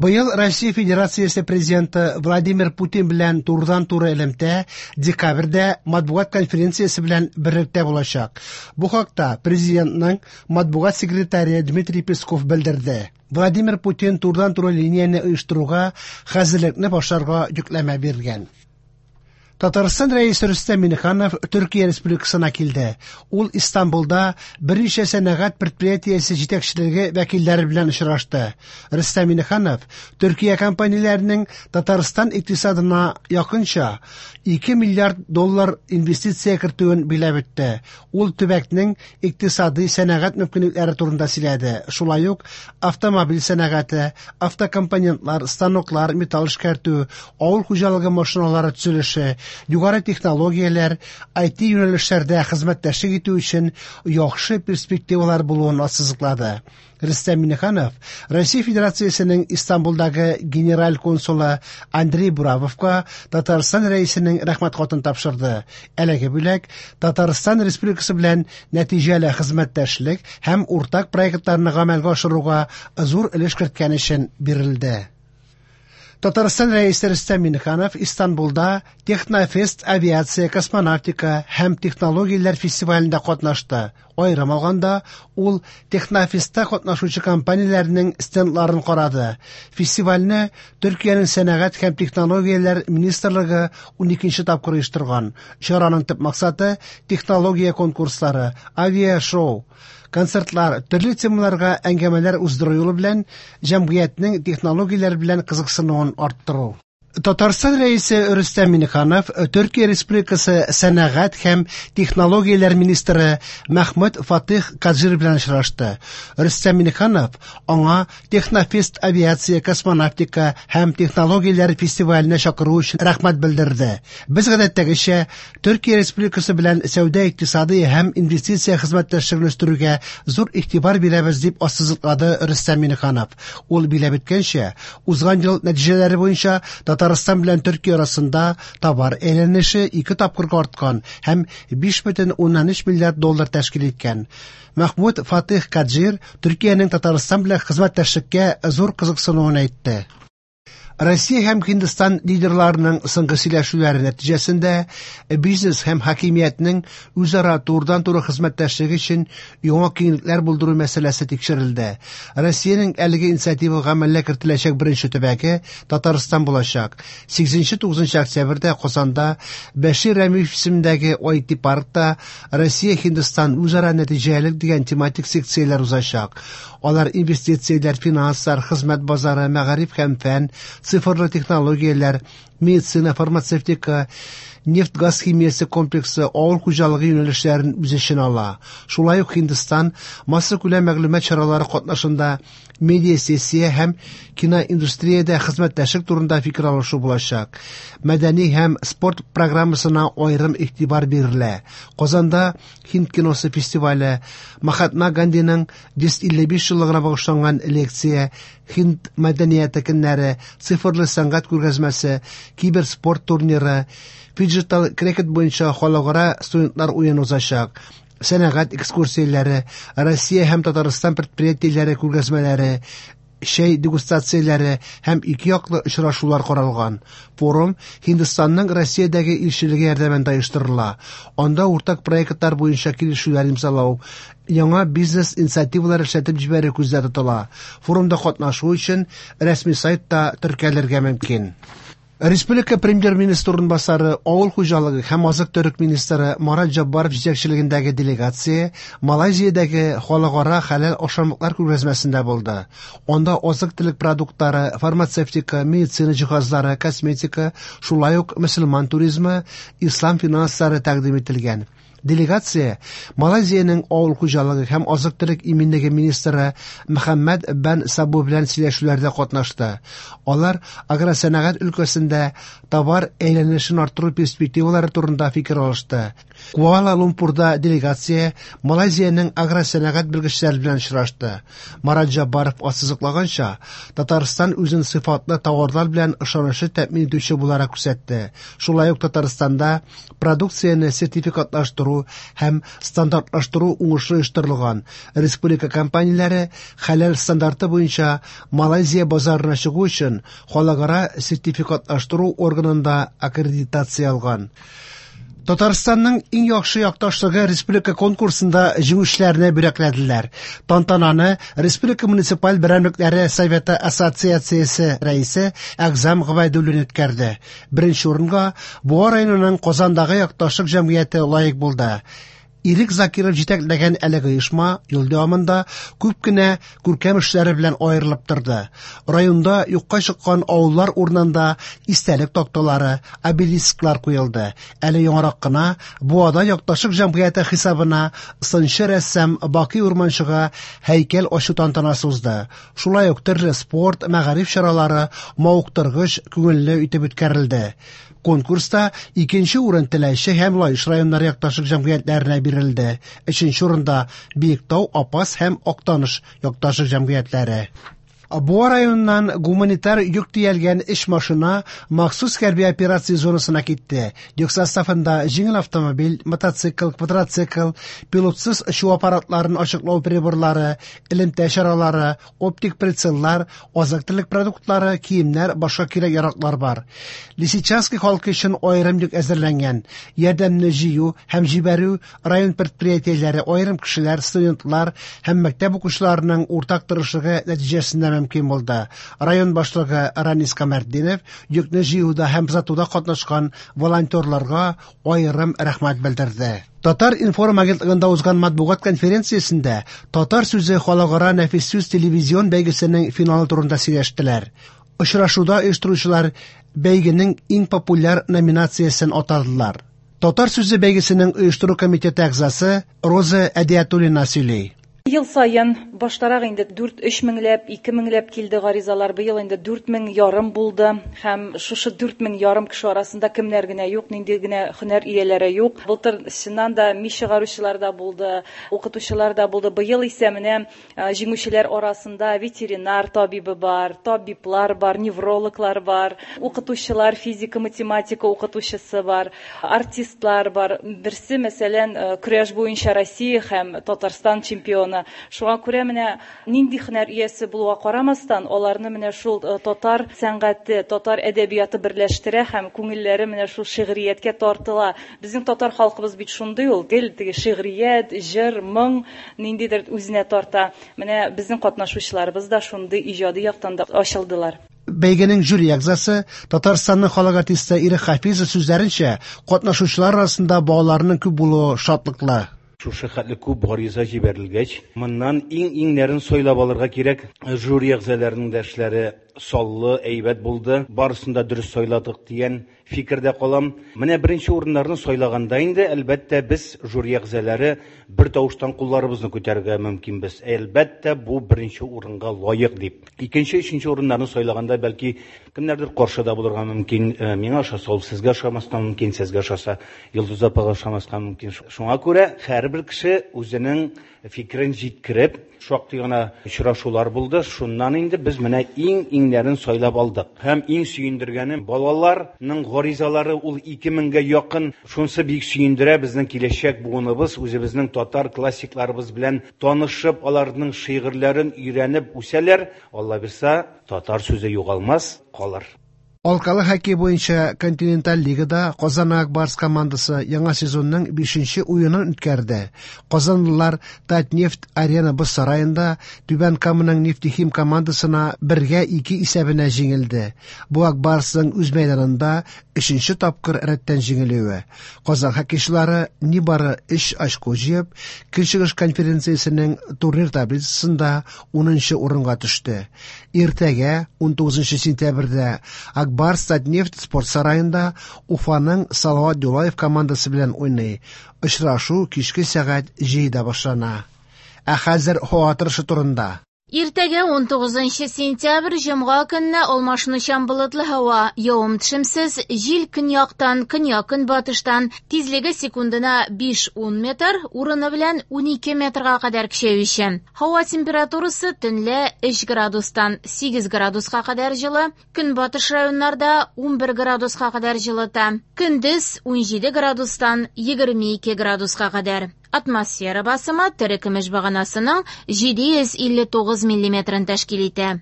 Быел Россия Федерациясе Президенты Владимир Путин белән турыдан-туры элемтә декабрьдә матбугат конференциясе белән берлектә булачак. Бу хакта Президентның матбугат секретаре Дмитрий Песков белдерде. Владимир Путин турыдан-туры линияне оештыруга хәзерлекне башларга йөкләмә биргән. Татарстан Рәисе Рөстәм Миннеханов Төркия Республикасына килде. Ул Истанбулда берничә сәнәгать предприятиесе җитәкчелеге вәкилләре белән очрашты. Рөстәм Миннеханов Төркия компанияләренең Татарстан икътисадына якынча 2 миллиард доллар инвестиция кертүен биләп үтте. Ул төбәкнең икътисадый сәнәгать мөмкинлекләре турында сөйләде. Шулай ук автомобиль сәнәгате, автокомпонентлар, станоклар, металл эшкәртү, авыл хуҗалыгы машиналары төзелеше, югары технологияләр, IT юнәлешләрдә хезмәттәшлек итү өчен яхшы перспективалар булуын ассызыклады. Рөстәм Миннеханов Россия Федерациясенең Истанбулдагы генераль консулы Андрей Буравовка Татарстан Рәисенең рәхмәт хатын тапшырды. Әлеге бүләк Татарстан Республикасы белән нәтиҗәле хезмәттәшлек һәм уртак проектларны гамәлгә ашыруга зур өлеш керткән өчен бирелде. Татарстан Рәисе Рөстәм Миннеханов Истанбулда Технофест авиация, космонавтика һәм технологияләр фестивалендә катнашты. Аерым алганда, ул Технофестта катнашучы компанияләрнең стендларын карады. Фестивальне Төркиянең сәнәгать һәм технологияләр министрлыгы 12 тапкыр оештырган. Чараның төп максаты технология конкурслары, авиашоу, концертлар, төрле темаларга әңгәмәләр уздыру юлы белән җәмгыятьнең технологияләр белән кызыксынуын арттыру. Татарстан Рәисе Рөстәм Миннеханов Төркия Республикасы сәнәгать һәм технологияләр министры Мәхмүт Фатих Каджир белән очрашты. Рөстәм Миннеханов аңа Технофест авиация, космонавтика һәм технологияләр фестиваленә чакыру өчен рәхмәт белдерде. Без гадәттәгечә Төркия Республикасы белән сәүдә-икътисадый һәм инвестиция хезмәттәшлеген үстерүгә зур игътибар бирәбез, дип ассызыклады Рөстәм Миннеханов. Ул биләп үткәнчә, узган ел нәтиҗәләре буенча Татарстан белән Төркия арасында товар әйләнеше ике тапкырга арткан һәм 5,3 миллиард доллар тәшкил иткән. Мәхмүт Фатих Каджир Төркиянең Татарстан белән хезмәттәшлеккә зур кызыксынуын әйтте. Россия һәм Һиндстан лидерларының соңгы сөйләшүләре нәтиҗәсендә бизнес һәм хакимиятнең үзара турыдан-туры хезмәттәшлеге өчен яңа киңлекләр булдыру мәсьәләсе тикшерелде. Россиянең әлеге инициатива гамәлгә кертеләчәк беренче төбәге Татарстан булачак. 8-9 октябрьдә Казанда Бәшир Рәмиев исемендәге IT паркта Россия-Һиндстан үзара нәтиҗәлелек дигән тематик секцияләр узачак. Алар инвестицияләр, финанслар, хезмәт базары, мәгариф һәм фән, цифрлы технологияләр, медицина, фармацевтика, нефть-газ химиясе комплексы, авыл хуҗалыгы юнәлешләрен үз эченә ала. Шулай ук Һиндстан массакүләм мәгълүмат чаралары катнашында медиа-сессия һәм киноиндустриядә хезмәттәшлек турында фикер алышу булачак. Мәдәни һәм спорт программасына аерым игътибар бирелә. Казанда Һинд киносы фестивале, Махатма Гандиның 155 еллыгына багышланган лекция, Һинд мәдәнияте көннәре, цифрлы сәнгать күргәзмәсе, киберспорт турниры, фиджитал крикет буенча халыкара студентлар уены узачак. Сәнәгать экскурсияләре, Россия һәм Татарстан предприятиеләре күргәзмәләре, чәй дегустацияләре һәм ике яклы очрашулар каралган. Форум Һиндстанның Россиядәге илчелеге ярдәмендә оештырыла. Анда уртак проектлар буенча килешүләр имзалау, яңа бизнес инициативалар эшләтеп җибәрү күздә тотыла. Форумда катнашу өчен рәсми сайтта теркәлергә мөмкин. Республика премьер-министры урынбасары, авыл хуҗалыгы һәм азык-төлек министры Марат Җаббаров җитәкчелегендәге делегация Малайзиядәге халыкара хәләл ашамлыклар күргәзмәсендә булды. Анда азык-төлек продуктлары, фармацевтика, медицина җиһазлары, косметика, шулай ук мөселман туризмы, ислам финанслары тәкъдим ителгән. Делегация Малайзиянең авыл хуҗалыгы һәм азык-төлек иминлеге министры Мөхәммәд Бән Сабу белән сөйләшүләрдә катнашты. Алар агросәнәгать өлкәсендә товар әйләнешен арттыру перспективалары турында фикер алышты. Куала-Лумпурда делегация Малайзиянең агросәнәгать белгечләре белән очрашты. Марат Җаббаров ассызыклаганча, Татарстан үзен сыйфатлы товарлар белән ышанычлы тәэмин итүче буларак күрсәтте. Шулай ук Татарстанда продукцияне сертификатлаштыру һәм стандартлаштыру уңышлы оештырылган. Республика компанияләре хәләл стандарты буенча Малайзия базарына чыгу өчен халыкара сертификатлаштыру органында аккредитация алган. Татарстанның иң яхшы якташлыгы республика конкурсында җиңүчеләрне бүләкләделәр. Тантананы Республика муниципаль берәмлекләре советы ассоциациясе рәисе Әгъзам Гобәйдуллин үткәрде. Беренче урынга Буа районының Казандагы якташлык җәмгыяте лаек булды. Ирек Закиров җитәкләгән әлеге оешма ел дәвамында күп кенә күркәм эшләре белән аерылып торды. Районда юкка чыккан авыллар урынында истәлек такталары, обелисклар куелды. Әле яңарак кына Буада якташлык җәмгыяте хисабына сынчы рәссам Бакый Урманчыга һәйкәл ачу тантанасы узды. Шулай ук төрле спорт, мәгариф чаралары мавыктыргыч, күңелле итеп үткәрелде. Конкурста икенче урын Теләче һәм Лаеш районнары якташлык җәмгыятьләренә бирелде. Өченче урында Биектау, Апас һәм Актаныш якташлык җәмгыятьләре. Буа районыннан гуманитар йөк төялгән өч машина махсус хәрби операция зонасына китте. Йөк составында җиңел автомобиль, мотоцикл, квадроцикл, пилотсыз очу аппаратларын ачыклау приборлары, элемтә чаралары, оптик прицеллар, азык-төлек продуктлары, киемнәр, башка кирәк-яраклар бар. Лисичанский халкы өчен аерым йөк әзерләнгән. Ярдәмне җыю һәм җибәрү район предприятиеләре, аерым кешеләр, студентлар һәм мәктәп укучыларының уртак тырышлыгы нәтиҗәсендә мөмкин булды. Район башлыгы Ранис Камәртдинов йөкне җыюда һәм озатуда катнашкан волонтерларга аерым рәхмәт белдерде. Татар-информ агентлыгында узган матбугат конференциясендә Татар сүзе халыкара нәфис сүз телевизион бәйгесенең финалы турында сөйләштеләр. Очрашуда оештыручылар бәйгенең иң популяр номинациясен атадылар. Татар сүзе бәйгесенең оештыру комитеты әгъзасы Роза Әдиятуллина сөйли. Ел саен баштарак инде 4-3 меңләп, 2 меңләп килде гаризалар. Быел инде 4 мең ярым булды. Һәм шушы 4 мең ярым кеше арасында кемнәр генә юк, нинди генә һөнәр ияләре юк. Былтыр чыннан да мич чыгаручылар да булды, укытучылар да булды. Быел исә менә җиңүчеләр арасында ветеринар табибы бар, табиблар бар, неврологлар бар, укытучылар, физика, математика укытучысы бар, артистлар бар. Берсе, мәсәлән, көрәш буенча Россия һәм Татарстан чемпионы. Шуңа күрә менә нинди һөнәр иясе булуга карамастан, аларны менә шул татар сәнгате, татар әдәбияты берләштерә һәм күңелләре менә шул шигърияткә тартыла. Безнең татар халкыбыз бит шундый ул, гел теге шигърият, җыр, моң ниндидер үзенә тарта. Менә безнең катнашучыларыбыз да шундый иҗади яктан да ачылдылар. Бәйгенең жюри әгъзасы Татарстанның халык артисты Ирек Хафизов сүзләренчә, катнашучылар арасында балаларның күп булуы шатлыклы. Шушы хәтле күп гариза җибәрелгәч, моннан иң-иңнәрен сайлап алырга кирәк. Жюри әгъзаларының да эшләре саллы, әйбәт булды. Барысын да дөрес сайладык дигән фикердә калам. Менә беренче урыннарны сайлаганда инде, әлбәттә, без жюри әгъзалары бер тавыштан кулларыбызны күтәрергә мөмкинбез. Әлбәттә, бу беренче урынга лаек дип. Икенче, өченче урыннарны сайлаганда бәлки кемнәрдер каршы да булырга мөмкин. Миңа ошаса, ул сезгә ошамаска мөмкин, сезгә ошаса, Йолдыз апага ошамаска мөмкин. Шуңа күрә һәрбер кеше үзенең фикерен җиткереп, шактый гына очрашулар булды. Шуннан инде без менә иң-иңнәрен сайлап алдык. Һәм иң сөендергәне балаларның гаризалары ул 2000гә якын. Шунысы бик сөендерә, безнең киләчәк буыныбыз үзебезнең татар классикларыбыз белән танышып, аларның шигырьләрен өйрәнеп үсәләр. Алла бирса, татар сүзе югалмас, калыр. Алкалы хоккей буенча континенталь лигада Казан Ак Барс командасы яңа сезонның 5нче уенын үткәрде. Казанлылар Татнефть Арена боз сараенда Түбән Каманың Нефтехим командасына 1-2 исәбенә җиңелде. Бу Ак Барсның үз мәйданында 3нче тапкыр рәттән җиңелүе. Казан хоккейчылары нибары 3 очко җыеп, Көнчыгыш конференциясенең турнир таблицасында 10нчы урынга төште. Иртәгә 19 сентябрьдә Ак Барс Татнефть спорт сараенда Уфаның Салават Юлаев командасы белән уйный. Очрашу кичке сәгать 7-дә башлана. Ә хәзер һава торышы турында. Иртәгә 19 сентябрь җомга көнне алмашынучан болытлы һава, явым-төшемсез, җил көньяктан, көньяк-көнбатыштан, тизлеге секундына 5-10 метр, урыны белән 12 метрга кадәр көчәючән. Һава температурасы төнлә 3 градустан 8 градуска кадәр җылы, көнбатыш районнарда 11 градуска кадәр җылыта. Көндез 17 градустан 22 градуска кадәр. Атмосфера басымы терекөмеш баганасының 759 миллиметрын тәшкил итә.